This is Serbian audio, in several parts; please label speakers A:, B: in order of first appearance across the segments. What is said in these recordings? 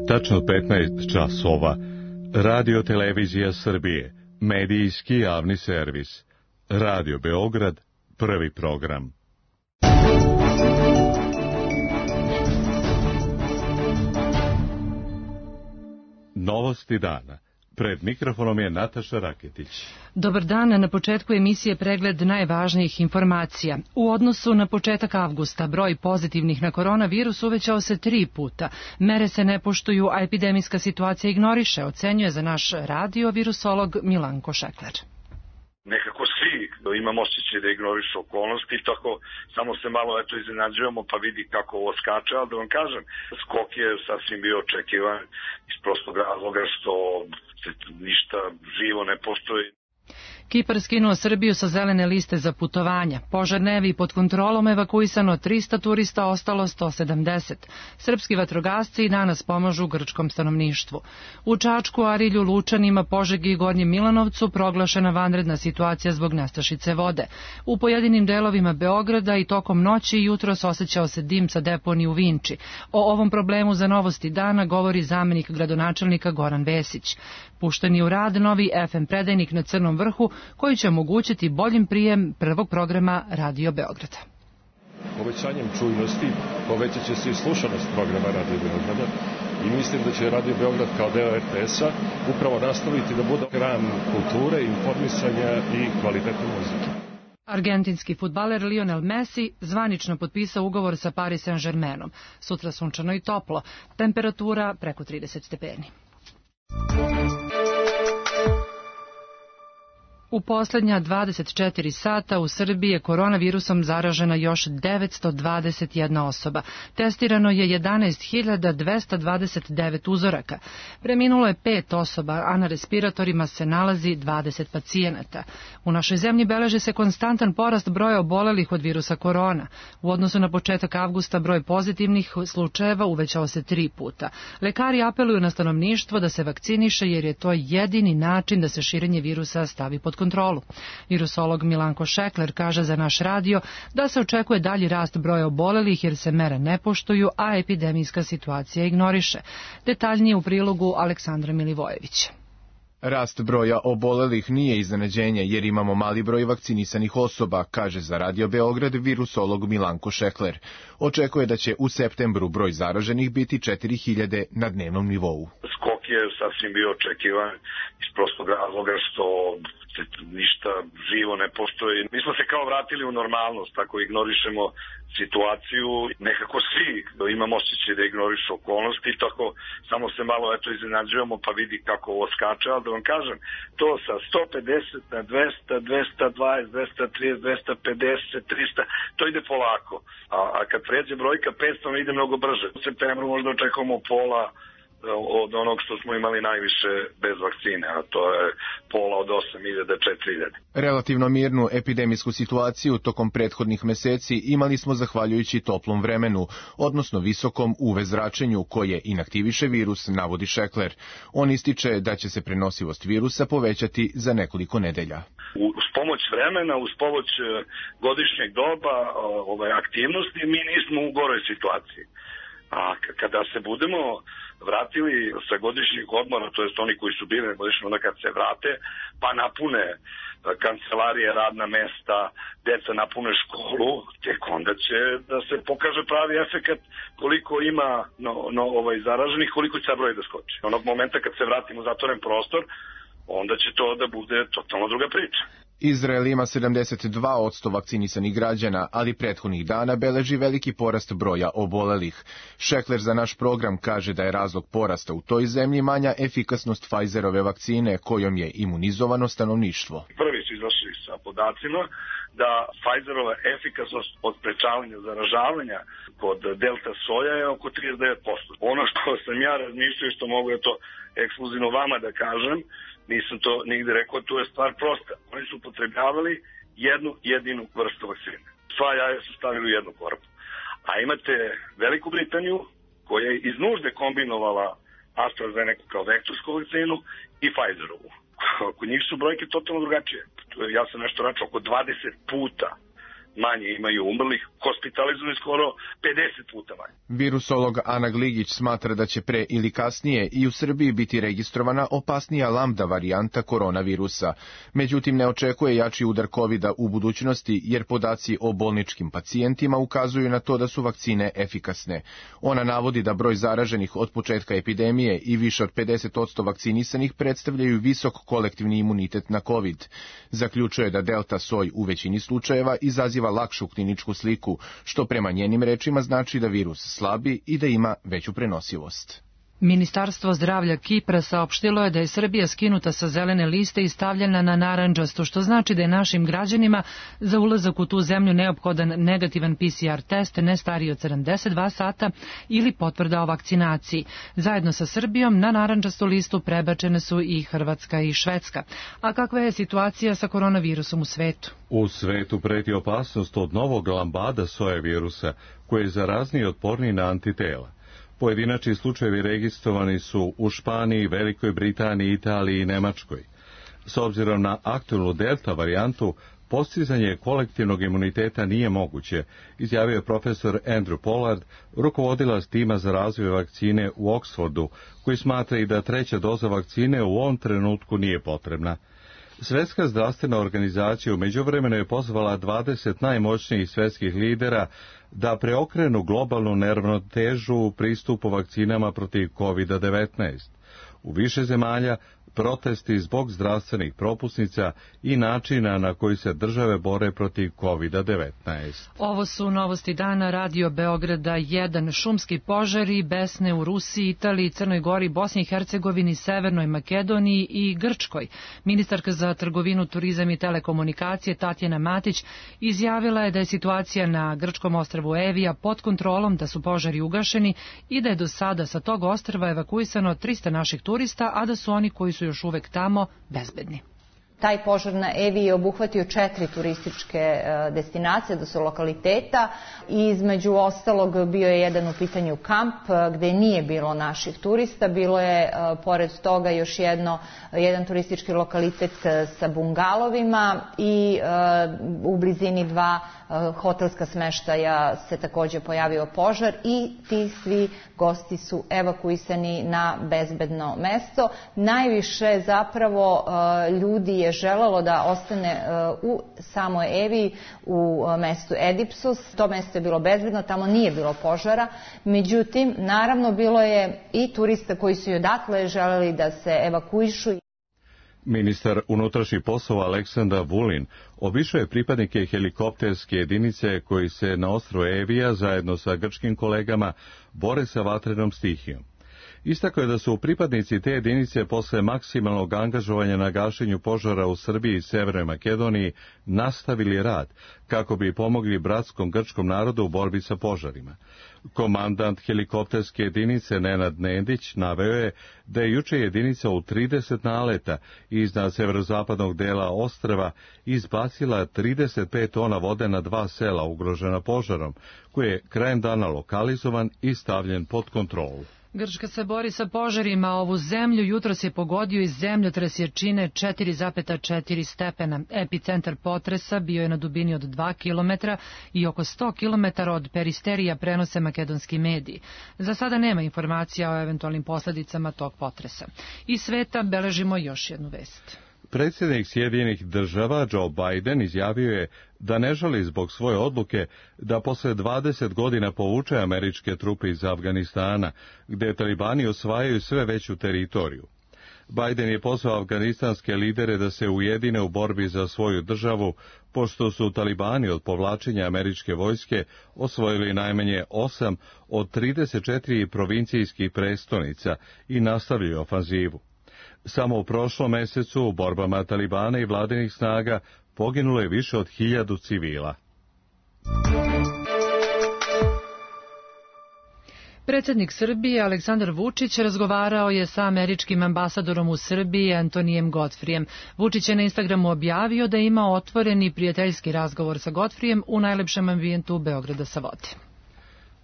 A: Tačno 15 časova. Radio Televizija Srbije. Medijski javni servis. Radio Beograd. Prvi program. Novosti dana. Pred mikrofonom je Nataša Raketić.
B: Dobar dan, na početku emisije pregled najvažnijih informacija. U odnosu na početak avgusta broj pozitivnih na koronavirus uvećao se 3 puta. Mere se ne poštuju, a epidemijska situacija ignoriše, ocenjuje za naš radio virusolog Milanko Šekler.
C: Nekako svi imamo osjećaj da ignorišu okolnosti, tako samo se malo iznenađujemo pa vidi kako ovo skače, ali da vam kažem, skok je sasvim bio očekivan iz prostog razloga što ništa živo ne postoji.
B: Kipar skinuo Srbiju sa zelene liste za putovanja. Požar Nevi pod kontrolom, evakuisano 300 turista, ostalo 170. Srpski vatrogasci danas pomažu grčkom stanovništvu. U Čačku, Arilju, Lučanima, Požegi i Gornjem Milanovcu proglašena vanredna situacija zbog nestašice vode. U pojedinim delovima Beograda i tokom noći i jutros osjećao se dim sa deponije u Vinči. O ovom problemu za Novosti dana govori zamenik gradonačelnika Goran Vesić. Pušten je u rad novi FM predajnik na Crnom vrhu, koji će omogućiti boljim prijem prvog programa Radio Beograda.
D: Povećanjem čujnosti povećat će se i slušanost programa Radio Beograda i mislim da će Radio Beograd kao deo RTS-a upravo nastaviti da bude hram kulture, informisanja i kvalitetne muzike.
B: Argentinski fudbaler Lionel Messi zvanično potpisao ugovor sa Paris Saint-Germainom. Sutra sunčano i toplo, temperatura preko 30 stepeni. U posljednja 24 sata u Srbiji je koronavirusom zaražena još 921 osoba. Testirano je 11.229 uzoraka. Preminulo je 5 osoba, a na respiratorima se nalazi 20 pacijenata. U našoj zemlji beleži se konstantan porast broja obolelih od virusa korona. U odnosu na početak avgusta broj pozitivnih slučajeva uvećao se 3 puta. Lekari apeluju na stanovništvo da se vakciniše jer je to jedini način da se širenje virusa stavi pod kontrolu. Virusolog Milanko Šekler kaže za naš radio da se očekuje dalji rast broja obolelih jer se mere ne poštuju, a epidemijska situacija ignoriše. Detaljnije u prilogu Aleksandra Milivojevića.
E: Rast broja obolelih nije iznenađenje jer imamo mali broj vakcinisanih osoba, kaže za Radio Beograd virusolog Milanko Šekler. Očekuje da će u septembru broj zaraženih biti 4000 na dnevnom nivou.
C: Skok je sasvim bio očekivan iz prostog razloga što ništa živo ne postoji. Mi smo se kao vratili u normalnost, tako ignorišemo situaciju. Nekako svi imamo osjećaj da ignorišu okolnosti, tako samo se malo iznenađujemo pa vidi kako ovo skače, ali da vam kažem, to sa 150 na 200, 220, 230, 250, 300, to ide polako. A kad pređe brojka 500, ide mnogo brže. U septembru možda očekujemo pola od onog što smo imali najviše bez vakcine, a to je pola od 8.000 do 4.000.
E: Relativno mirnu epidemijsku situaciju tokom prethodnih meseci imali smo zahvaljujući toplom vremenu, odnosno visokom UV zračenju koje inaktiviše virus, navodi Šekler. On ističe da će se prenosivost virusa povećati za nekoliko nedelja.
C: Uz pomoć vremena, uz pomoć godišnjeg doba aktivnosti, mi nismo u goroj situaciji. A kada se budemo vratili sa godišnjih odmora, to jest oni koji su bili na godišnjem, onda kad se vrate, pa napune kancelarije, radna mesta, deca napune školu, tek onda će da se pokaže pravi efekat koliko ima zaraženih, koliko će broj da skoči. Onog momenta kad se vratimo u zatvoren prostor, onda će to da bude totalno druga priča.
E: Izrael ima 72% vakcinisanih građana, ali prethodnih dana beleži veliki porast broja obolelih. Šekler za naš program kaže da je razlog porasta u toj zemlji manja efikasnost Pfizerove vakcine kojom je imunizovano stanovništvo.
C: Prvi su izašli sa podacima da Pfizerova efikasnost od sprečavanja zaražavanja kod delta soja je oko 39%. Ono što sam ja razmišljao i što mogu je to ekskluzivno vama da kažem, nisam to nigde rekao, tu je stvar prosta. Oni su upotrebljavali jednu jedinu vrstu vakcine. Sva jaja su stavili u jednu korpu. A imate Veliku Britaniju koja je iz nužde kombinovala AstraZeneca kao vektorsku vakcinu i Pfizerovu. Kod njih su brojke totalno drugačije. Ja sam nešto račao oko 20 puta manje imaju umrlih, hospitalizovani skoro 50 puta manje.
E: Virusolog Ana Gligić smatra da će pre ili kasnije i u Srbiji biti registrovana opasnija lambda varijanta koronavirusa. Međutim, ne očekuje jači udar COVID-a u budućnosti, jer podaci o bolničkim pacijentima ukazuju na to da su vakcine efikasne. Ona navodi da broj zaraženih od početka epidemije i više od 50% vakcinisanih predstavljaju visok kolektivni imunitet na COVID. Zaključuje da delta soj u većini slučajeva izaziva lakšu kliničku sliku, što prema njenim rečima znači da virus slabi i da ima veću prenosivost.
B: Ministarstvo zdravlja Kipra saopštilo je da je Srbija skinuta sa zelene liste i stavljena na narandžastu, što znači da je našim građanima za ulazak u tu zemlju neophodan negativan PCR test ne stariji od 72 sata ili potvrda o vakcinaciji. Zajedno sa Srbijom na narandžastu listu prebačene su i Hrvatska i Švedska. A kakva je situacija sa koronavirusom u svetu?
A: U svetu preti opasnost od novog lambada soje virusa, koji je zarazniji i otporniji na antitela. Pojedinačni slučajevi registrovani su u Španiji, Velikoj Britaniji, Italiji i Nemačkoj. S obzirom na aktualnu delta varijantu, postizanje kolektivnog imuniteta nije moguće, izjavio je profesor Andrew Pollard, rukovodilac tima za razvoj vakcine u Oxfordu, koji smatra i da treća doza vakcine u ovom trenutku nije potrebna. Svetska zdravstvena organizacija u međuvremenu je pozvala 20 najmoćnijih svetskih lidera da preokrenu globalnu neravnotežu u pristupu vakcinama protiv COVID-19. U više zemalja protesti zbog zdravstvenih propusnica i načina na koji se države bore protiv COVID-19.
B: Ovo su novosti dana Radio Beograda 1. Šumski požari, besne u Rusiji, Italiji, Crnoj Gori, Bosni i Hercegovini, Severnoj Makedoniji i Grčkoj. Ministarka za trgovinu, turizam i telekomunikacije Tatjana Matić izjavila je da je situacija na grčkom ostrvu Evija pod kontrolom, da su požari ugašeni i da je do sada sa tog ostrva evakuisano 300 naših turista, a da su oni koji su još uvek tamo bezbedni.
F: Taj požar na Eviji je obuhvatio 4 turističke destinacije, da su lokaliteta, i između ostalog bio je jedan u pitanju kamp gde nije bilo naših turista, bilo je pored toga još jedan turistički lokalitet sa bungalovima i u blizini 2 hotelska smeštaja se takođe pojavio požar i ti svi gosti su evakuisani na bezbedno mesto. Najviše zapravo ljudi je želelo da ostane u samoj Eviji, u mestu Edipsus. To mesto je bilo bezbedno, tamo nije bilo požara. Međutim, naravno bilo je i turista koji su i odatle želeli da se evakuišu.
A: Ministar unutrašnjih poslova Aleksandar Vulin obišao je pripadnike helikopterske jedinice koji se na ostrvu Evija zajedno sa grčkim kolegama bore sa vatrenom stihijom. Istakao je da su pripadnici te jedinice posle maksimalnog angažovanja na gašenju požara u Srbiji i Severnoj Makedoniji nastavili rad kako bi pomogli bratskom grčkom narodu u borbi sa požarima. Komandant helikopterske jedinice Nenad Nedić naveo je da je juče jedinica u 30 naleta iznad severozapadnog dela ostrva izbacila 35 tona vode na 2 sela ugrožena požarom, koji je krajem dana lokalizovan i stavljen pod kontrolu.
B: Grčka se bori sa požarima, ovu zemlju jutros je pogodio i zemljotres jačine 4,4 stepena. Epicentar potresa bio je na dubini od 2 km i oko 100 km od Peristerija, prenose makedonski mediji. Za sada nema informacija o eventualnim posledicama tog potresa. Iz sveta beležimo još jednu vest.
A: Predsjednik Sjedinjenih Država Joe Biden izjavio je da ne žali zbog svoje odluke da posle 20 godina povuče američke trupe iz Afganistana, gde talibani osvajaju sve veću teritoriju. Biden je pozvao afganistanske lidere da se ujedine u borbi za svoju državu, pošto su talibani od povlačenja američke vojske osvojili najmanje 8 od 34 provincijskih prestonica i nastavljaju ofanzivu. Samo u prošlom mesecu u borbama talibana i vladinih snaga poginulo je više od 1000 civila.
B: Predsjednik Srbije Aleksandar Vučić razgovarao je sa američkim ambasadorom u Srbiji Antonijem Godfrijem. Vučić je na Instagramu objavio da je imao otvoreni prijateljski razgovor sa Godfrijem u najlepšem ambijentu Beograda sa vode.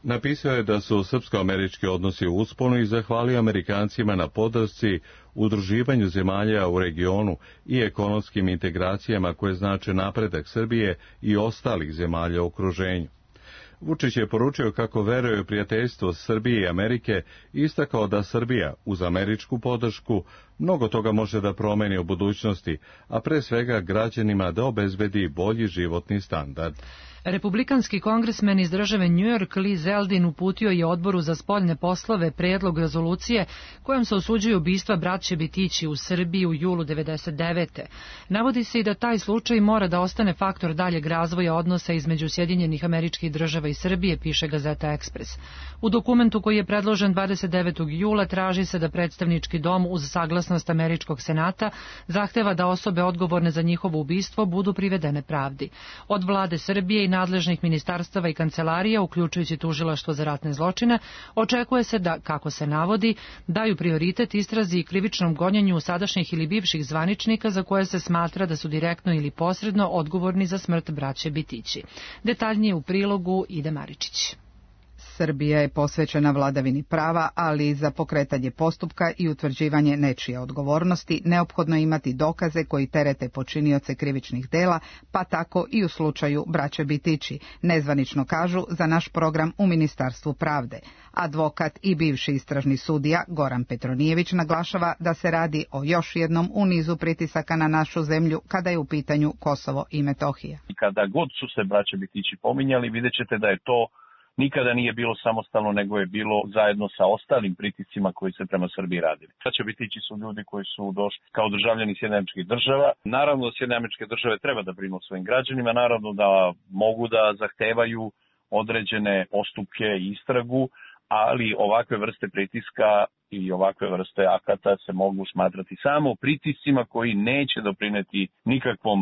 A: Napisao je da su srpsko-američki odnosi u usponu i zahvalio Amerikancima na podršci udruživanju zemalja u regionu i ekonomskim integracijama koje znače napredak Srbije i ostalih zemalja u okruženju. Vučić je poručio kako veruje u prijateljstvo Srbije i Amerike i istakao da Srbija, uz američku podršku, mnogo toga može da promeni u budućnosti, a pre svega građanima da obezbedi bolji životni standard.
B: Republikanski kongresmen iz države New York Lee Zeldin uputio je Odboru za spoljne poslove predlog rezolucije kojom se osuđuju ubistva braće Bitići u Srbiji u julu 1999. Navodi se i da taj slučaj mora da ostane faktor daljeg razvoja odnosa između Sjedinjenih Američkih Država i Srbije, piše gazeta Ekspres. U dokumentu koji je predložen 29. jula traži se da predstavnički dom uz saglasnost Američkog senata zahteva da osobe odgovorne za njihovo ubistvo budu privedene pravdi. Od vlade Srbije i nadležnih ministarstava i kancelarija, uključujući Tužilaštvo za ratne zločine, očekuje se da, kako se navodi, daju prioritet istrazi i krivičnom gonjenju sadašnjih ili bivših zvaničnika za koje se smatra da su direktno ili posredno odgovorni za smrt braće Bitići. Detaljnije u prilogu Ide Maričić.
G: Srbija je posvećena vladavini prava, ali za pokretanje postupka i utvrđivanje nečije odgovornosti neophodno je imati dokaze koji terete počinioce krivičnih dela, pa tako i u slučaju braće Bitići, nezvanično kažu za naš program u Ministarstvu pravde. Advokat i bivši istražni sudija Goran Petronijević naglašava da se radi o još jednom u nizu pritisaka na našu zemlju kada je u pitanju Kosovo i Metohija.
H: Kada god su se braće Bitići pominjali, vidjet ćete da je to nikada nije bilo samostalno, nego je bilo zajedno sa ostalim pritiscima koji se prema Srbiji radili. Braća Bitići su ljudi koji su došli kao državljani Sjedinjenih Američkih Država. Naravno da Sjedinjene Američke Države treba da brinu o svojim građanima, naravno da mogu da zahtevaju određene postupke i istragu, ali ovakve vrste pritiska i ovakve vrste akata se mogu smatrati samo pritiscima koji neće doprineti nikakvom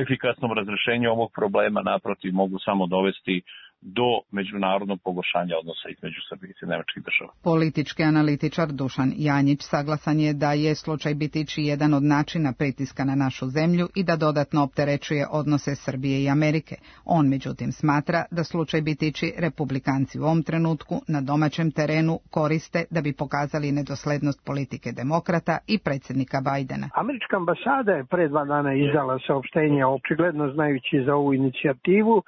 H: efikasnom razrešenju ovog problema, naprotiv mogu samo dovesti do međunarodnog pogoršanja odnosa između Srbije i Sjedinjenih Američkih Država.
G: Politički analitičar Dušan Janjić saglasan je da je slučaj Bitići jedan od načina pritiska na našu zemlju i da dodatno opterećuje odnose Srbije i Amerike. On međutim smatra da slučaj Bitići republikanci u ovom trenutku na domaćem terenu koriste da bi pokazali nedoslednost politike demokrata i predsjednika Bajdena.
I: Američka ambasada je pre 2 dana izdala saopštenje, očigledno znajući za ovu inicijativu,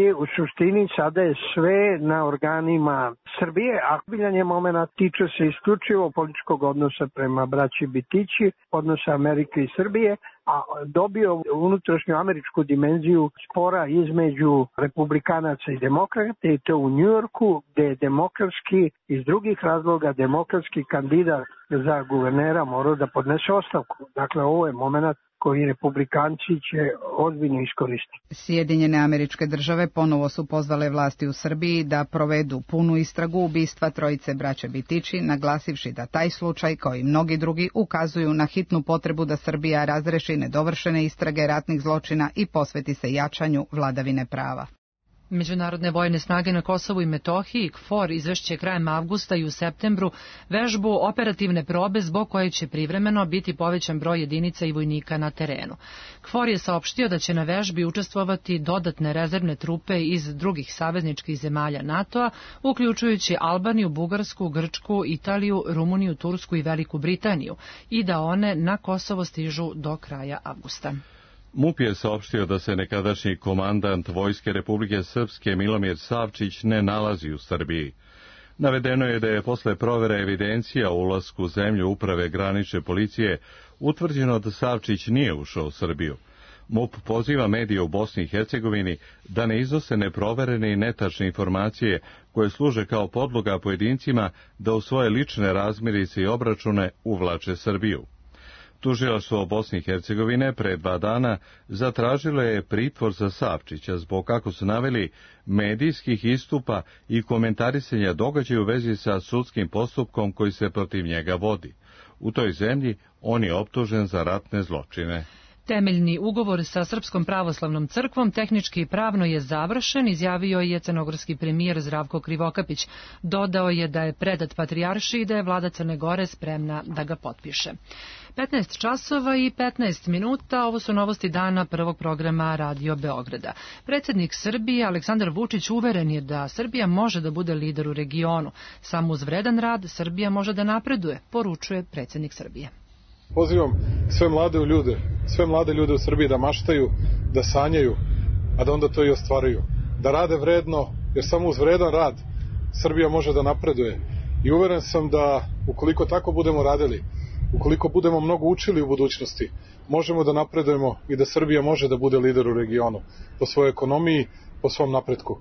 I: i u suštini sada je sve na organima Srbije, a biljanje momena tiče se isključivo političkog odnosa prema braći Bitići, odnosa Amerike i Srbije, a dobio unutrašnju američku dimenziju spora između republikanaca i demokrata i to u Njujorku, gde je demokratski iz drugih razloga demokratski kandidat za guvernera morao da podnese ostavku. Dakle, ovo je moment koji republikanci će ozbiljno iskoristiti.
G: Sjedinjene Američke Države ponovo su pozvale vlasti u Srbiji da provedu punu istragu ubistva trojice braće Bitići, naglasivši da taj slučaj, kao i mnogi drugi, ukazuju na hitnu potrebu da Srbija razreši nedovršene istrage ratnih zločina i posveti se jačanju vladavine prava.
B: Međunarodne vojne snage na Kosovu i Metohiji, KFOR, izvešće krajem avgusta i u septembru vežbu operativne probe zbog koje će privremeno biti povećan broj jedinica i vojnika na terenu. KFOR je saopštio da će na vežbi učestvovati dodatne rezervne trupe iz drugih savezničkih zemalja NATO-a, uključujući Albaniju, Bugarsku, Grčku, Italiju, Rumuniju, Tursku i Veliku Britaniju, i da one na Kosovo stižu do kraja avgusta.
A: MUP je saopštio da se nekadašnji komandant Vojske Republike Srpske Milomir Savčić ne nalazi u Srbiji. Navedeno je da je posle provere evidencija o ulasku u zemlju Uprave granične policije utvrđeno da Savčić nije ušao u Srbiju. MUP poziva medije u Bosni i Hercegovini da ne iznose neproverene i netačne informacije koje služe kao podloga pojedincima da u svoje lične razmirice i obračune uvlače Srbiju. Tužilaštvo Bosne i Hercegovine pre 2 dana zatražilo je pritvor za Savčića zbog, kako su naveli, medijskih istupa i komentarisanja događaja u vezi sa sudskim postupkom koji se protiv njega vodi. U toj zemlji on je optužen za ratne zločine.
B: Temeljni ugovor sa Srpskom pravoslavnom crkvom tehnički i pravno je završen, izjavio je crnogorski premijer Zdravko Krivokapić. Dodao je da je predat patrijaršiji i da je vlada Crne Gore spremna da ga potpiše. 15 časova i 15 minuta, ovo su novosti dana prvog programa Radio Beograda. Predsjednik Srbije Aleksandar Vučić uveren je da Srbija može da bude lider u regionu. Samo uz vredan rad Srbija može da napreduje, poručuje predsjednik Srbije.
J: Pozivam sve mlade ljude u Srbiji da maštaju, da sanjaju, a da onda to i ostvaruju. Da rade vredno, jer samo uz vredan rad Srbija može da napreduje. I uveren sam da ukoliko tako budemo radili, ukoliko budemo mnogo učili u budućnosti, možemo da napredujemo i da Srbija može da bude lider u regionu, po svojoj ekonomiji, po svom napretku.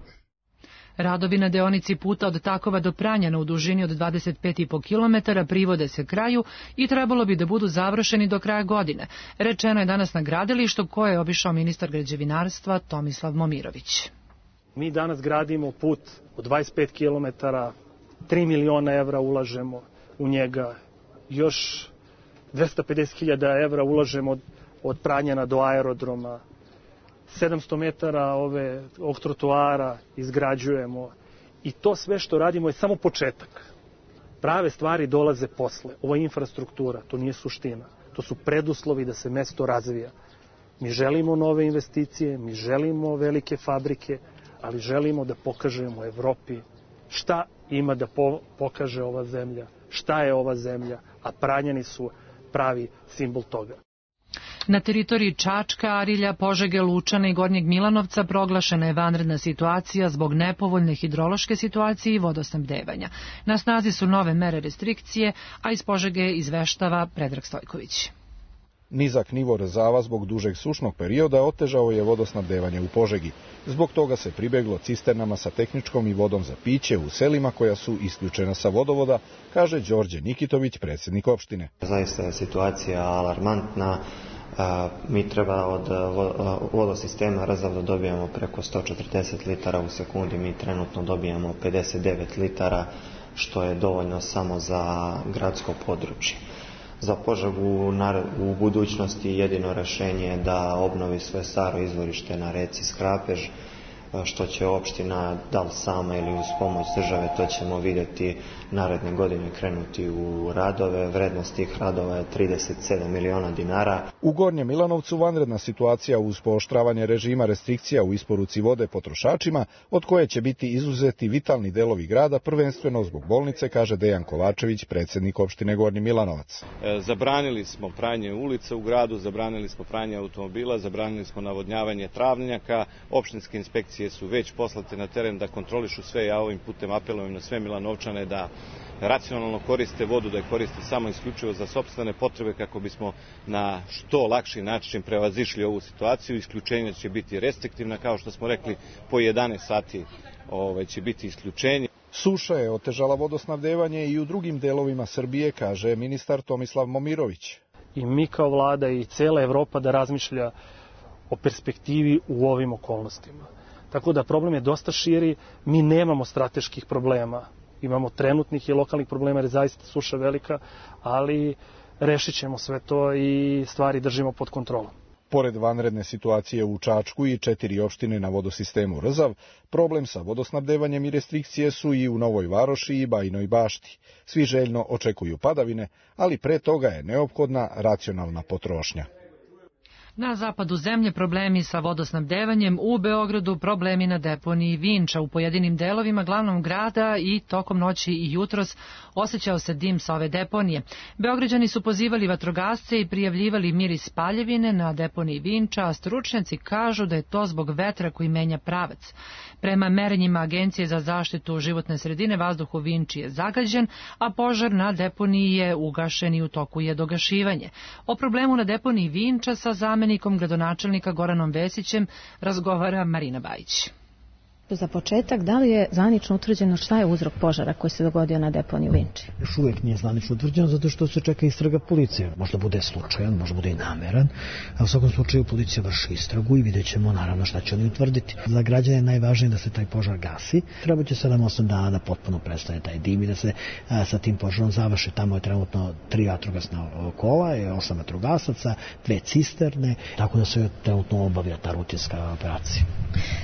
B: Radovi na deonici puta od Takova do Pranjana u dužini od 25,5 km privode se kraju i trebalo bi da budu završeni do kraja godine. Rečeno je danas na gradilištu koje je obišao ministar građevinarstva Tomislav Momirović.
K: Mi danas gradimo put od 25 km, 3 miliona evra ulažemo u njega, još 250.000 evra ulažemo od Pranjana do aerodroma, 700 metara ovog trotoara izgrađujemo i to sve što radimo je samo početak. Prave stvari dolaze posle. Ovo je infrastruktura, to nije suština. To su preduslovi da se mesto razvija. Mi želimo nove investicije, mi želimo velike fabrike, ali želimo da pokažemo Evropi šta ima da pokaže ova zemlja, šta je ova zemlja, a Pranjani su pravi simbol toga.
B: Na teritoriji Čačka, Arilja, Požege, Lučana i Gornjeg Milanovca proglašena je vanredna situacija zbog nepovoljne hidrološke situacije i vodosnabdevanja. Na snazi su nove mere restrikcije, a iz Požege izveštava Predrag Stojković.
L: Nizak nivo rezava zbog dužeg sušnog perioda otežao je vodosnabdevanje u Požegi. Zbog toga se pribeglo cisternama sa tehničkom i vodom za piće u selima koja su isključena sa vodovoda, kaže Đorđe Nikitović, predsjednik opštine.
M: Zaista je situacija alarmantna. Mi treba od vodosistema Rzav da dobijamo preko 140 litara u sekundi. Mi trenutno dobijamo 59 litara, što je dovoljno samo za gradsko područje. Za Požegu u budućnosti jedino rješenje je da obnovi svoje staro izvorište na reci Skrapež, što će opština, da li sama ili uz pomoć države, to ćemo vidjeti naredne godine krenuti u radove. Vrednost tih radova je 37 miliona dinara.
L: U Gornjem Milanovcu vanredna situacija uz pooštravanje režima restrikcija u isporuci vode potrošačima, od koje će biti izuzeti vitalni delovi grada, prvenstveno zbog bolnice, kaže Dejan Kovačević, predsjednik opštine Gornji Milanovac.
N: Zabranili smo pranje ulica u gradu, zabranili smo pranje automobila, zabranili smo navodnjavanje travnjaka, opštinske inspekcije su već poslate na teren da kontrolišu sve. Ja ovim putem apelujem na sve Milanovčane da racionalno koriste vodu, da je koriste samo isključivo za sopstvene potrebe kako bismo na što lakši način prevazišli ovu situaciju. Isključenja će biti restriktivna, kao što smo rekli, po 11 sati će biti isključenje.
L: Suša je otežala vodosnabdevanje i u drugim delovima Srbije, kaže ministar Tomislav Momirović.
K: I mi kao vlada i cela Evropa da razmišlja o perspektivi u ovim okolnostima. Tako da problem je dosta širi, mi nemamo strateških problema. Imamo trenutnih i lokalnih problema jer je zaista suša velika, ali rešit ćemo sve to i stvari držimo pod kontrolom.
L: Pored vanredne situacije u Čačku i 4 opštine na vodosistemu Rzav, problem sa vodosnabdevanjem i restrikcije su i u Novoj Varoši i Bajinoj Bašti. Svi željno očekuju padavine, ali pre toga je neophodna racionalna potrošnja.
B: Na zapadu zemlje problemi sa vodosnabdevanjem, u Beogradu problemi na deponiji Vinča. U pojedinim delovima glavnog grada i tokom noći i jutros osjećao se dim sa ove deponije. Beograđani su pozivali vatrogasce i prijavljivali miris spaljevine na deponiji Vinča, a stručnjaci kažu da je to zbog vetra koji menja pravac. Prema merenjima Agencije za zaštitu životne sredine, vazduh u Vinči je zagađen, a požar na deponiji je ugašen i u toku je dogašivanje. O problemu na deponiji Vinča sa zamenikom gradonačelnika Goranom Vesićem razgovara Marina Bajić.
O: Za početak, da li je zvanično utvrđeno šta je uzrok požara koji se dogodio na deponiji u Vinči?
P: Još uvijek nije zvanično utvrđeno zato što se čeka istraga policije. Možda bude slučajan, možda bude i nameran, a u svakom slučaju policija vrši istragu i vidjet ćemo naravno šta će oni utvrditi. Za građane je najvažnije da se taj požar gasi. Treba će 7-8 dana da potpuno prestane taj dim i da se sa tim požarom završi. Tamo je trenutno 3 vatrogasna kola, 8 vatrogasaca, 2 cisterne, tako da se trenutno obavlja ta rutinska operacija.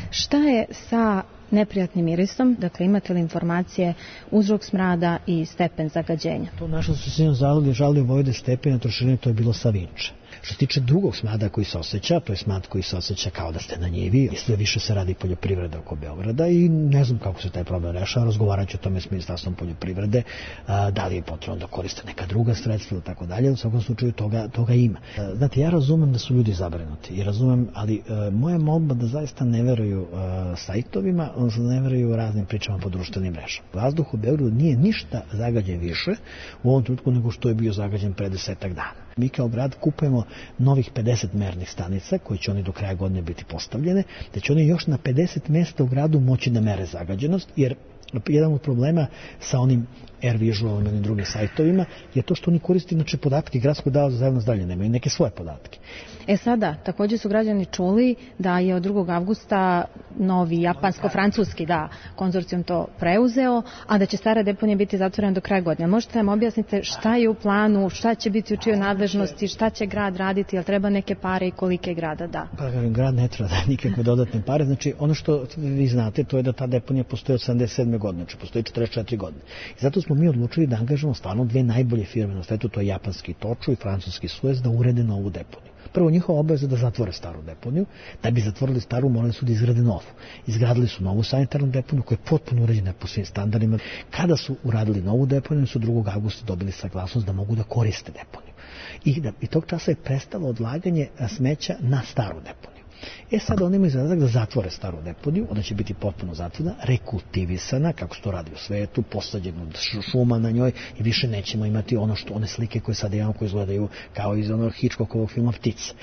O: Šta je sa neprijatnim mirisom? Dakle, imate li informacije uzrok smrada i stepen zagađenja?
P: To naša su žalili Vojvode Stepina Trošarine, to je bilo sa Vinče. Što se tiče drugog smrada koji se osjeća, to je smrad koji se osjeća kao da ste na njivi, sve više se radi poljoprivreda oko Beograda i ne znam kako se taj problem rešava, razgovarat ću o tome s Ministarstvom poljoprivrede, da li je potrebno da koriste neka druga sredstva i tako dalje, u svakom slučaju toga ima. Znate, ja razumem da su ljudi zabrinuti i razumem, ali moja molba da zaista ne veruju sajtovima, odnosno ne veruju raznim pričama po društvenim mrežama. Vazduh u Beogradu nije ništa zagađen više u ovom trenutku nego što je bio zagađen pre 10 dana. Mi kao grad kupujemo novih 50 mernih stanica koje će oni do kraja godine biti postavljene, da će oni još na 50 mjesta u gradu moći da mere zagađenost, jer jedan od problema sa onim AirVisualom i onim drugim sajtovima je to što oni koriste inače podatke Gradskog zavoda za javno zdravlje, nemaju neke svoje podatke.
O: Sada, također su građani čuli da je od 2. avgusta novi japansko-francuski konzorcijum to preuzeo, a da će stara deponija biti zatvorena do kraja godine. Možete nam objasniti šta je u planu, šta će biti u čijoj nadležnosti, šta će grad raditi, jel treba neke pare i kolike grada da?
P: Grad ne treba da nikakve dodatne pare. Znači, ono što vi znate, to je da ta deponija postoji od 77. godine, znači postoji 44 godine. I zato smo mi odlučili da angažujemo stvarno 2 najbolje firme na svetu, to je japanski Toču i francuski Suez, da urede novu deponiju. Prvo, njihova obaveza je da zatvore staru deponiju. Da bi zatvorili staru, morali su da izgrade novu. Izgradili su novu sanitarnu deponiju koja je potpuno uređena po svim standardima. Kada su uradili novu deponiju, su 2. avgusta dobili saglasnost da mogu da koriste deponiju. I tog časa je prestalo odlaganje smeća na staru deponiju. Sad oni imaju zadatak da zatvore staru deponiju, ona će biti potpuno zatvorena, rekultivisana, kako se to radi u svetu, posađeno šuma na njoj i više nećemo imati one slike koje sad imamo, koje izgledaju kao iz onog Hitchcockovog filma Ptica.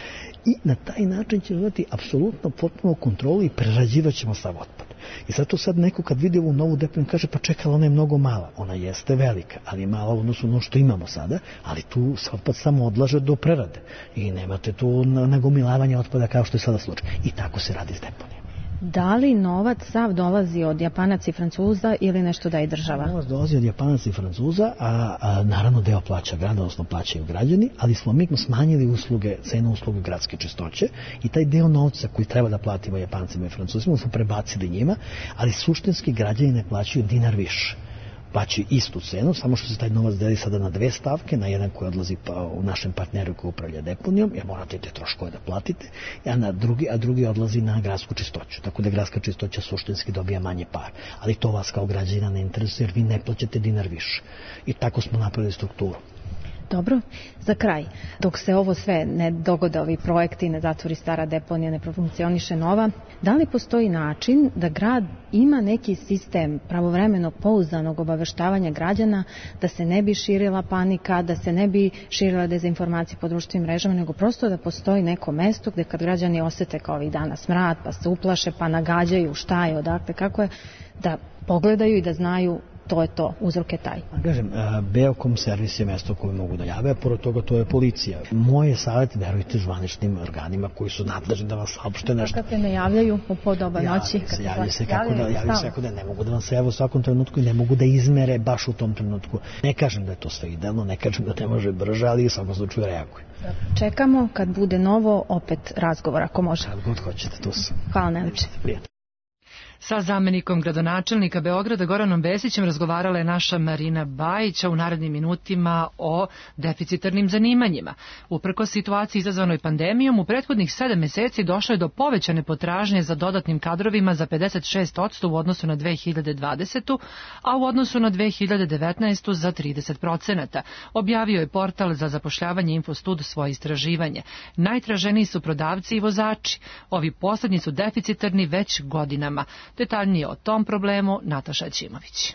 P: I na taj način ćemo imati apsolutno potpuno kontrolu i prerađivat ćemo sav otpad. I zato sad neko kad vidi ovu novu deponiju kaže pa čekala, ona je mnogo mala. Ona jeste velika, ali je mala u odnosu na ono što imamo sada, ali tu se otpad samo odlaže do prerade. I nemate tu nagomilavanje otpada kao što je sada slučaj. I tako se radi s deponijom.
O: Da li novac sav dolazi od Japanaca i Francuza ili nešto da je država?
P: Novac dolazi od Japanaca i Francuza, a naravno deo plaća grad, odnosno plaćaju građani, ali smo mi smanjili cenu usluge gradske čistoće i taj deo novca koji treba da platimo Japancima i Francuzima smo prebacili njima, ali suštinski građani ne plaćaju dinar više. Plaćaju istu cenu, samo što se taj novac deli sada na 2 stavke, na jedan koji odlazi u našem partneru koji upravlja deponijom, jer morate te troškove da platite, a drugi odlazi na gradsku čistoću. Tako da gradska čistoća suštinski dobija manje par. Ali to vas kao građana ne interesuje, jer vi ne plaćate dinar više. I tako smo napravili strukturu.
O: Dobro, za kraj, dok se ovo sve ne dogode, ovi projekti, ne zatvori stara deponija, ne profunkcioniše nova, da li postoji način da grad ima neki sistem pravovremenog pouzdanog obaveštavanja građana, da se ne bi širila panika, da se ne bi širila dezinformacije po društvenim mrežama, nego prosto da postoji neko mesto gde kad građani osete kao ovih dana smrad, pa se uplaše, pa nagađaju šta je, odakle, kako je, da pogledaju i da znaju to je to, uzrok je taj.
P: Kažem, Beokom servis je mesto koje mogu da jave, a pored toga to je policija. Moje savjet, verujte zvaničnim organima koji su nadležni da vam saopšte nešto.
O: Kad se ne javljaju u podoba noći?
P: Javljaju se kako da ne mogu da vam se jave u svakom trenutku i ne mogu da izmere baš u tom trenutku. Ne kažem da je to sve idealno, ne kažem da ne može brže, ali u svakom slučaju reaguju.
O: Čekamo kad bude novo opet razgovor, ako može.
P: Kad god hoćete, tu sam.
O: Hvala najlepše.
B: Sa zamenikom gradonačelnika Beograda Goranom Besićem razgovarala je naša Marina Bajić u narednim minutima o deficitarnim zanimanjima. Uprkos situaciji izazvanoj pandemijom, u prethodnih 7 meseci došlo je do povećane potražnje za dodatnim kadrovima za 56% u odnosu na 2020. a u odnosu na 2019. za 30%. Objavio je portal za zapošljavanje Infostud svoje istraživanje. Najtraženiji su prodavci i vozači. Ovi poslednji su deficitarni već godinama. Detaljnije o tom problemu Nataša Ćimović.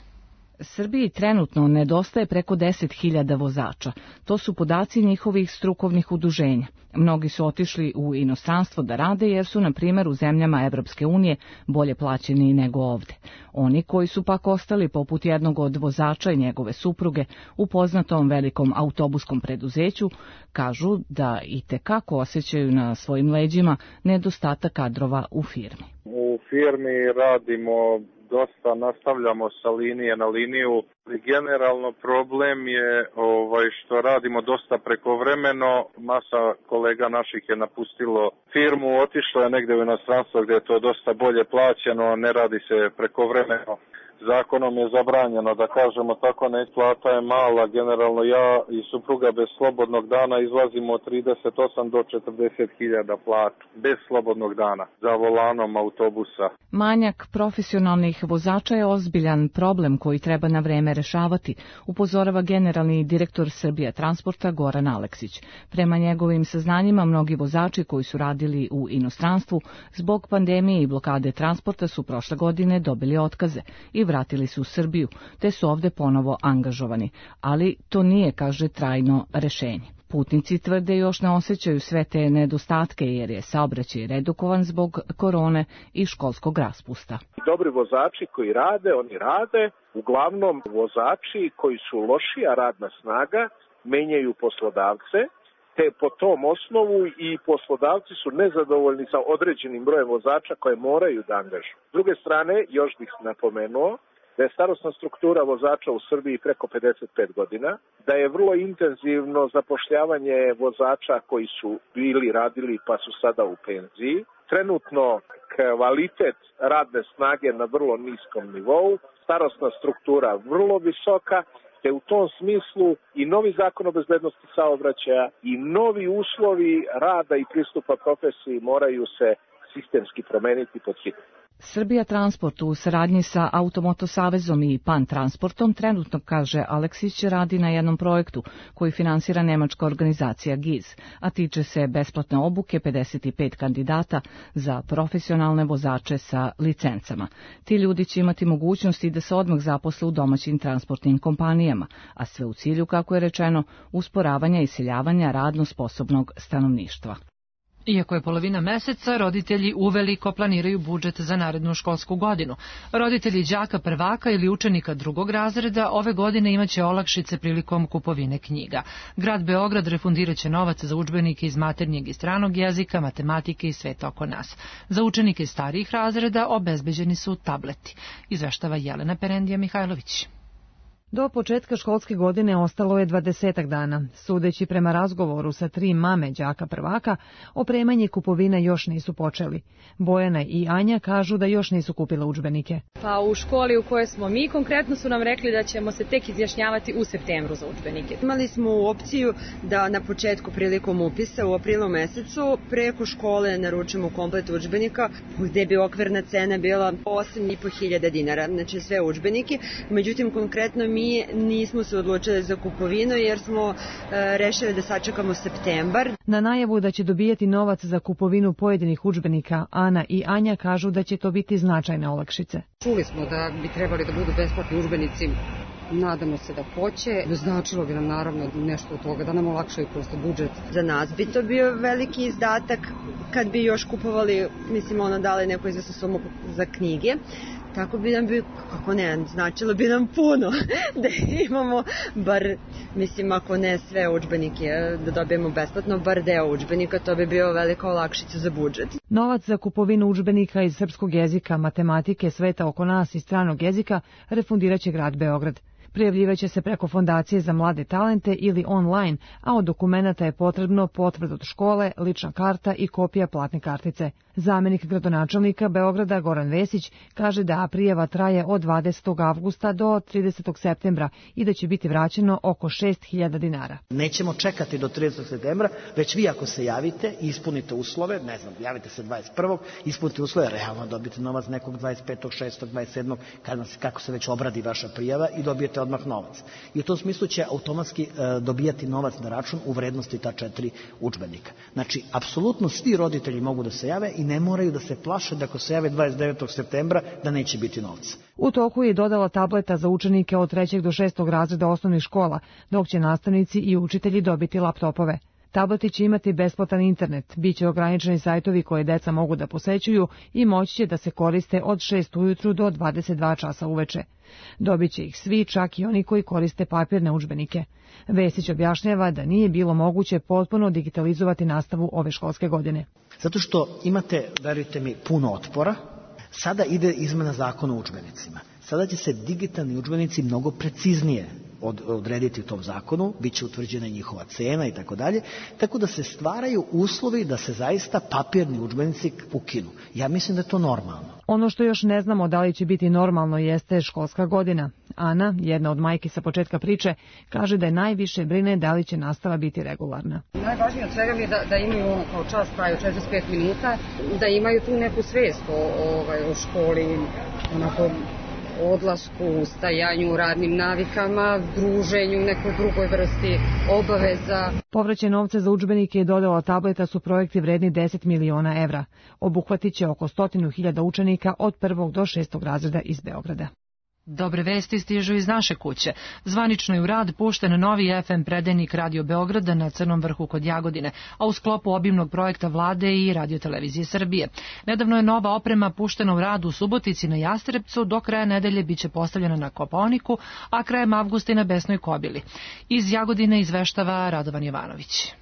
B: Srbiji trenutno nedostaje preko 10.000 vozača. To su podaci njihovih strukovnih udruženja. Mnogi su otišli u inostranstvo da rade jer su, na primjer, u zemljama Evropske unije bolje plaćeni nego ovde. Oni koji su pak ostali, poput jednog od vozača i njegove supruge, u poznatom velikom autobuskom preduzeću, kažu da i tekako osjećaju na svojim leđima nedostatak kadrova u firmi.
Q: U firmi radimo dosta, nastavljamo sa linije na liniju. Generalno problem je što radimo dosta prekovremeno. Masa kolega naših je napustilo firmu, otišlo je negde u inostranstvo gdje je to dosta bolje plaćeno, ne radi se prekovremeno. Zakonom je zabranjeno, da kažemo tako, plata je mala. Generalno ja i supruga bez slobodnog dana izlazimo od 38 do 40.000 platu. Bez slobodnog dana, za volanom autobusa.
B: Manjak profesionalnih vozača je ozbiljan problem koji treba na vreme rešavati, upozorava generalni direktor Srbija Transporta Goran Aleksić. Prema njegovim saznanjima, mnogi vozači koji su radili u inostranstvu zbog pandemije i blokade transporta su prošle godine dobili otkaze i vratili su u Srbiju, te su ovde ponovo angažovani. Ali to nije, kaže, trajno rešenje. Putnici tvrde još ne osjećaju sve te nedostatke jer je saobraćaj redukovan zbog korone i školskog raspusta.
R: Dobri vozači koji rade, oni rade. Uglavnom vozači koji su lošija radna snaga menjaju poslodavce, te po tom osnovu i poslodavci su nezadovoljni sa određenim brojem vozača koje moraju da angažuju. S druge strane, još bih napomenuo da je starosna struktura vozača u Srbiji preko 55 godina, da je vrlo intenzivno zapošljavanje vozača koji su radili pa su sada u penziji. Trenutno kvalitet radne snage na vrlo niskom nivou, starosna struktura vrlo visoka, te u tom smislu i novi zakon o bezbednosti saobraćaja i novi uslovi rada i pristupa profesiji moraju se sistemski promeniti pod hitno.
B: Srbija Transport u saradnji sa Automoto Savezom i PAN Transportom trenutno, kaže Aleksić, radi na jednom projektu koji finansira nemačka organizacija GIZ, a tiče se besplatne obuke 55 kandidata za profesionalne vozače sa licencama. Ti ljudi će imati mogućnosti da se odmah zaposle u domaćim transportnim kompanijama, a sve u cilju, kako je rečeno, usporavanja i iseljavanja radno sposobnog stanovništva. Iako je polovina meseca, roditelji uveliko planiraju budžet za narednu školsku godinu. Roditelji đaka prvaka ili učenika drugog razreda ove godine imaće olakšice prilikom kupovine knjiga. Grad Beograd refundiraće novac za udžbenike iz maternjeg i stranog jezika, matematike i sveta oko nas. Za učenike starijih razreda obezbeđeni su tableti. Izveštava Jelena Perendija Mihajlović.
S: Do početka školske godine ostalo je 20 dana. Sudeći prema razgovoru sa 3 mame đaka prvaka, opremanje i kupovina još nisu počeli. Bojana i Anja kažu da još nisu kupile udžbenike.
T: Pa u školi u kojoj smo mi konkretno su nam rekli da ćemo se tek izjašnjavati u septembru za udžbenike.
U: Imali smo opciju da na početku prilikom upisa u aprilu mesecu preko škole naručimo komplet udžbenika gde bi okvirna cena bila 8.500 dinara, znači sve udžbenike. Međutim, konkretno mi nismo se odlučili za kupovinu jer smo rešili da sačekamo septembar.
S: Na najavu da će dobijati novac za kupovinu pojedinih udžbenika, Ana i Anja kažu da će to biti značajne olakšice.
V: Čuli smo da bi trebali da budu besplatni udžbenici. Nadamo se da hoće. Značilo bi nam naravno nešto od toga, da nam olakšaju prosto budžet.
U: Za nas bi to bio veliki izdatak kad bi još kupovali, dali neku izvesnu sumu za knjige. Tako bi nam značilo bi nam puno da imamo bar, ako ne sve udžbenike, da dobijemo besplatno, bar deo udžbenika, to bi bio velika olakšica za budžet.
S: Novac za kupovinu udžbenika iz srpskog jezika, matematike, sveta oko nas i stranog jezika refundiraće grad Beograd. Prijavljivaće se preko Fondacije za mlade talente ili online, a od dokumenta je potrebno potvrda od škole, lična karta i kopija platne kartice. Zamenik gradonačelnika Beograda Goran Vesić kaže da prijava traje od 20. avgusta do 30. septembra i da će biti vraćeno oko 6.000 dinara.
P: Nećemo čekati do 30. septembra, već vi ako se javite i ispunite uslove, javite se 21. ispunite uslove, realno dobijete novac nekog 25. 6. 27. kako se već obradi vaša prijava i dobijete odmah odmah novac. I u tom smislu će automatski dobijati novac na račun u vrednosti ta 4 udžbenika. Znači, apsolutno svi roditelji mogu da se jave i ne moraju da se plaše da ako se jave 29. septembra da neće biti novca.
S: U toku je dodala tableta za učenike od 3. do 6. razreda osnovnih škola, dok će nastavnici i učitelji dobiti laptopove. Tableti će imati besplatan internet, bit će ograničeni sajtovi koje deca mogu da posećuju i moći će da se koriste od 6 ujutru do 22 časa uveče. Dobit će ih svi, čak i oni koji koriste papirne udžbenike. Vesić objašnjava da nije bilo moguće potpuno digitalizovati nastavu ove školske godine.
P: Zato što imate, verujte mi, puno otpora. Sada ide izmena zakona o udžbenicima. Sada će se digitalni udžbenici mnogo preciznije odrediti u tom zakonu, bit će utvrđena njihova cena i tako dalje, tako da se stvaraju uslovi da se zaista papirni udžbenici ukinu. Ja mislim da je to normalno.
S: Ono što još ne znamo da li će biti normalno jeste školska godina. Ana, jedna od majki sa početka priče, kaže da je najviše brine da li će nastava biti regularna.
V: Najvažnije od svega mi je da imaju kao čas traju 45 minuta, da imaju tu neku svest o školi, onako odlasku, stajanju, radnim navikama, druženju, nekoj drugoj vrsti obaveza.
S: Povraćaj novca za udžbenike i dodala tableta su projekti vredni 10 miliona evra. Obuhvatit će oko 100.000 učenika od 1. do 6. razreda iz Beograda.
B: Dobre vesti stižu iz naše kuće. Zvanično je u rad pušten novi FM predajnik Radio Beograda na Crnom vrhu kod Jagodine, a u sklopu obimnog projekta Vlade i Radio-televizije Srbije. Nedavno je nova oprema puštena u rad u Subotici na Jastrebcu, do kraja nedelje biće postavljena na Kopaoniku, a krajem avgusta i na Besnoj Kobili. Iz Jagodine izveštava Radovan Jovanović.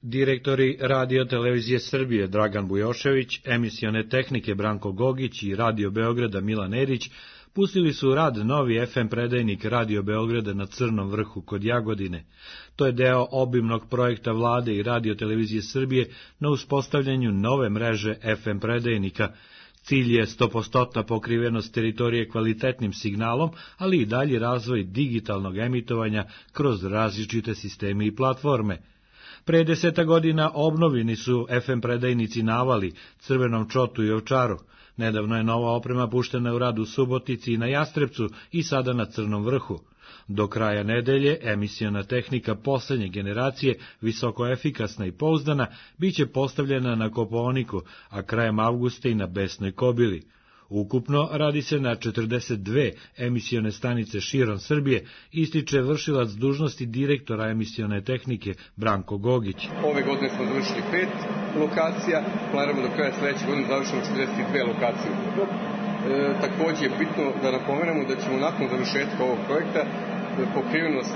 C: Direktori Radio-televizije Srbije Dragan Bujošević, emisione tehnike Branko Gogić i Radio Beograda Milan Erić pustili su u rad novi FM predajnik Radio Beograda na Crnom vrhu kod Jagodine. To je deo obimnog projekta Vlade i Radio-televizije Srbije na uspostavljanju nove mreže FM predajnika. Cilj je 100% pokrivenost teritorije kvalitetnim signalom, ali i dalji razvoj digitalnog emitovanja kroz različite sisteme i platforme. Pre 10 godina obnovljeni su FM predajnici Navali, Crvenom Čotu i Ovčaru. Nedavno je nova oprema puštena u rad u Subotici i na Jastrebcu i sada na Crnom vrhu. Do kraja nedelje emisiona tehnika poslednje generacije, visoko efikasna i pouzdana, biće postavljena na Kopaoniku, a krajem avgusta i na Besnoj Kobili. Ukupno radi se na 42 emisione stanice širom Srbije, ističe vršilac dužnosti direktora emisione tehnike Branko Gogić.
D: Ove godine smo završili 5 lokacija, planiramo do kraja sledeće godine završimo 42 lokacije. Takođe je bitno da napomenemo da ćemo nakon završetka ovog projekta pokrivenost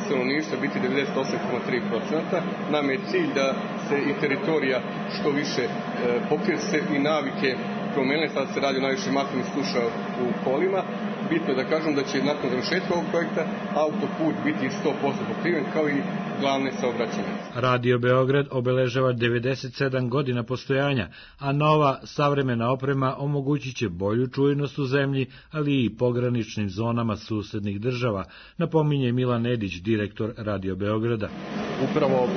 D: stanovništva biti 98,3%. Nam je cilj da se i teritorija što više pokrije, se i navike promenile, sad se radi o najviše masovnih sluša u kolima. Bitno je da kažem da će nakon završetka ovog projekta autoput biti 100% pokriven kao i glavne saobraćajnice.
C: Radio Beograd obeležava 97 godina postojanja, a nova savremena oprema omogućit će bolju čujnost u zemlji, ali i pograničnim zonama susednih država, napominje Milan Edić, direktor Radio Beograda.
W: Upravo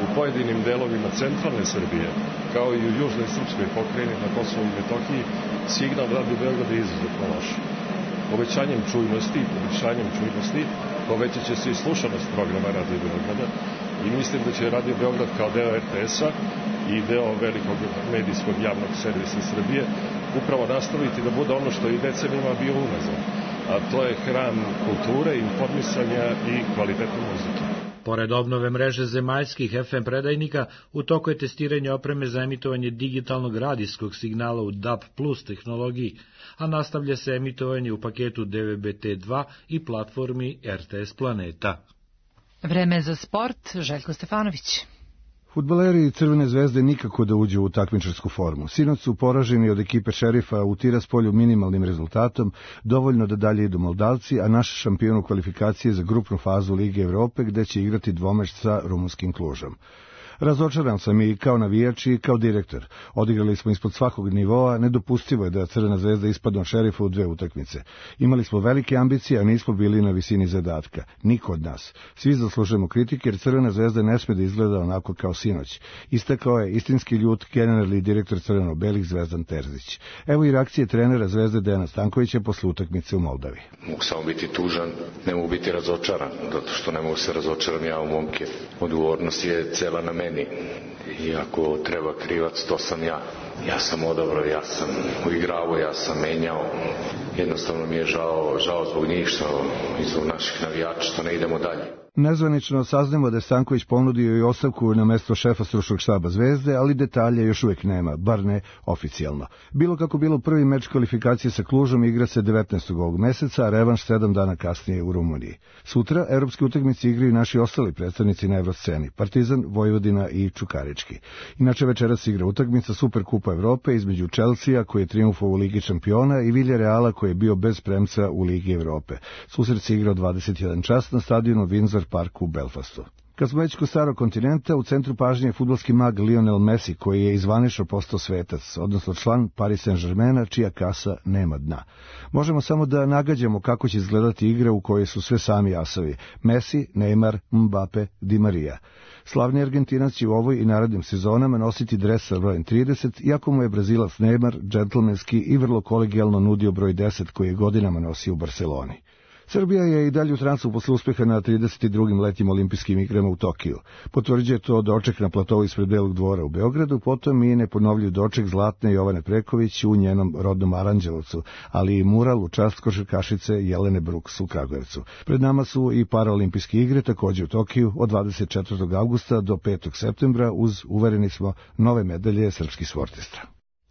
W: u pojedinim delovima centralne Srbije, kao i u južnoj srpskoj pokrajini na Kosovu i Metohiji, signal Radio Beograda je izuzetno loš. Povećanjem čujnosti povećat će se i slušanost programa Radio Beograda i mislim da će Radio Beograd kao deo RTS-a i deo velikog medijskog javnog servisa Srbije upravo nastaviti da bude ono što i decenijama bio unazad, a to je hram kulture, informisanja i kvalitetne muzike.
C: Pored obnove mreže zemaljskih FM predajnika, u toku je testiranje opreme za emitovanje digitalnog radijskog signala u DAB+ tehnologiji, a nastavlja se emitovanje u paketu DVB-T2 i platformi RTS Planeta.
B: Vreme za sport, Željko Stefanović.
X: Fudbaleri Crvene zvezde nikako da uđu u takmičarsku formu. Sinoć su poraženi od ekipe Šerifa u Tiraspolju minimalnim rezultatom, dovoljno da dalje idu Moldavci, a naš šampion u kvalifikacije za grupnu fazu Lige Evrope, gde će igrati dvomeč sa rumunskim Klužom. Razočaran sam i kao navijač i kao direktor. Odigrali smo ispod svakog nivoa, nedopustivo je da Crvena zvezda ispadne od Šerifa u 2 utakmice. Imali smo velike ambicije, a nismo bili na visini zadatka. Niko od nas. Svi zaslužujemo kritike jer Crvena zvezda ne sme da izgleda onako kao sinoć. Istakao je istinski ljut generalni direktor crveno-belih Zvezdan Terzić. Evo i reakcije trenera Zvezde Dejana Stankovića posle utakmice u Moldavi.
E: Mogu samo biti tužan, ne mogu biti razočaran, zato što ne mogu se razočaram ja u momke. Odgovornost je cela na meni. I ako treba krivac, to sam ja. Ja sam odabrao, ja sam uigravao, ja sam menjao. Jednostavno mi je žao zbog njih i zbog naših navijača što ne idemo dalje.
X: Nezvanično saznamo da je Stanković ponudio i ostavku na mesto šefa stručnog štaba Zvezde, ali detalje još uvijek nema, bar ne oficijalno. Bilo kako bilo, prvi meč kvalifikacije sa Klužom igra se 19. ovog meseca, a revanš 7 dana kasnije u Rumuniji. Sutra evropske utakmice igraju naši ostali predstavnici na evrosceni, Partizan, Vojvodina i Čukarički. Inače večeras igra utakmica Superkupa Evrope između Chelsea, koji je triumfovao u Ligi šampiona, i Villarreala, koji je bio bez premca u Ligi Evrope. Susret se igra od 21 čas na stadionu Windsor Park u Belfastu. Kad smo već kod starog kontinenta, u centru pažnje je fudbalski mag Lionel Messi, koji je izvanično postao svetac, odnosno član Paris Saint-Germaina, čija kasa nema dna. Možemo samo da nagađamo kako će izgledati igra u kojoj su sve sami asovi: Messi, Neymar, Mbappe, Di Maria. Slavni Argentinac će u ovoj i narednim sezonama nositi dres sa brojem 30, iako mu je Brazilac Neymar džentlmenski i vrlo kolegijalno nudio broj 10 koji je godinama nosio u Barceloni. Srbija je i dalje u transu posle uspeha na 32. letnjim olimpijskim igrama u Tokiju. Potvrđuje to doček na platovu ispred Belog dvora u Beogradu, potom i neponovljiv doček Zlatne Jovane Preković u njenom rodnom Aranđelovcu, ali i mural u čast košarkašice Jelene Bruks u Kragujevcu. Pred nama su i paraolimpijske igre, takođe u Tokiju, od 24. avgusta do 5. septembra, uz, uvereni smo, nove medalje srpskih sportista.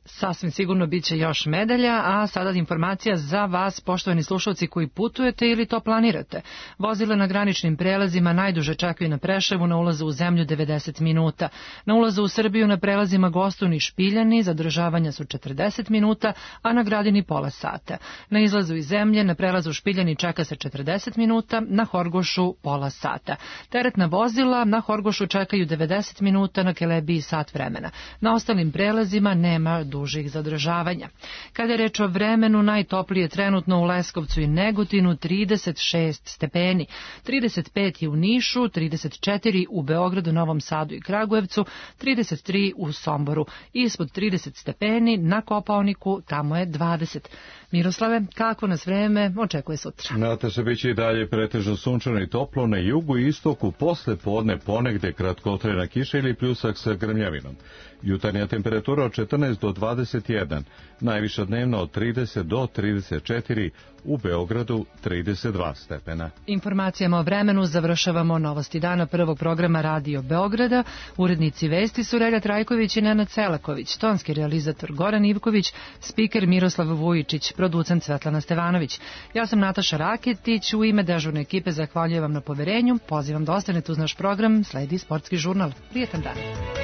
B: Sasvim sigurno bit će još medalja, a sada informacija za vas, poštovani slušalci koji putujete ili to planirate. Vozila na graničnim prelazima najduže čekaju na Preševu na ulazu u zemlju 90 minuta. Na ulazu u Srbiju na prelazima Gostun i Špiljani zadržavanja su 40 minuta, a na Gradini pola sata. Na izlazu iz zemlje na prelazu Špiljani čeka se 40 minuta, na Horgošu pola sata. Teretna vozila na Horgošu čekaju 90 minuta, na Kelebiji sat vremena. Na ostalim prelazima nema dužih zadržavanja. Kada je reč o vremenu, najtoplije trenutno u Leskovcu i Negotinu 36 stepeni, 35 je u Nišu, 34 u Beogradu, Novom Sadu i Kragujevcu, 33 u Somboru. Ispod 30 stepeni na Kopaoniku, tamo je 20. Miroslave, kako nas vreme očekuje sutra?
A: Nataša, biće i dalje pretežno sunčano i toplo na jugu i istoku, posle podne ponegde kratkotrajna kiša ili pljusak sa grmljavinom. Jutarnja temperatura od 14 do 21, najviša dnevna od 30 do 34, u Beogradu 32 stepena.
B: Informacijama o vremenu završavamo novosti dana prvog programa Radio Beograda. Urednici vesti su Relja Trajković i Nenad Selaković, tonski realizator Goran Ivković, spiker Miroslav Vujičić, producent Svetlana Stevanović. Ja sam Nataša Raketić, u ime dežurne ekipe zahvaljujem vam na poverenju, pozivam da ostanete uz naš program, sledi sportski žurnal. Prijetan dan.